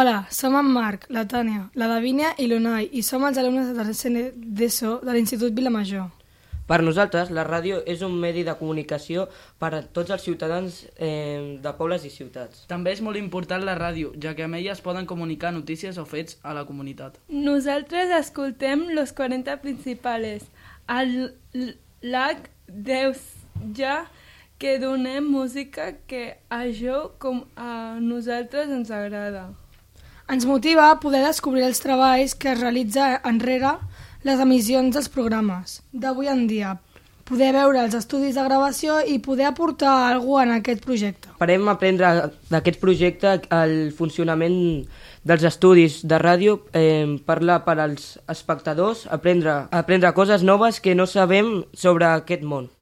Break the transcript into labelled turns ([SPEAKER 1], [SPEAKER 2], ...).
[SPEAKER 1] Hola, som en Marc, la Tània, la Davínia i l'Unai i som els alumnes de tercer d'ESO de l'Institut Vilamajor.
[SPEAKER 2] Per nosaltres, la ràdio és un medi de comunicació per a tots els ciutadans de pobles i ciutats.
[SPEAKER 3] També és molt important la ràdio, ja que amb ella es poden comunicar notícies o fets a la comunitat.
[SPEAKER 4] Nosaltres escoltem Los 40 Principales, al LAC Deus ja que donem música que això com a nosaltres ens agrada.
[SPEAKER 1] Ens motiva a poder descobrir els treballs que es realitza enrere les emissions dels programes d'avui en dia, poder veure els estudis de gravació i poder aportar alguna cosa en aquest projecte.
[SPEAKER 2] Esperem aprendre d'aquest projecte el funcionament dels estudis de ràdio, parlar per als espectadors, aprendre coses noves que no sabem sobre aquest món.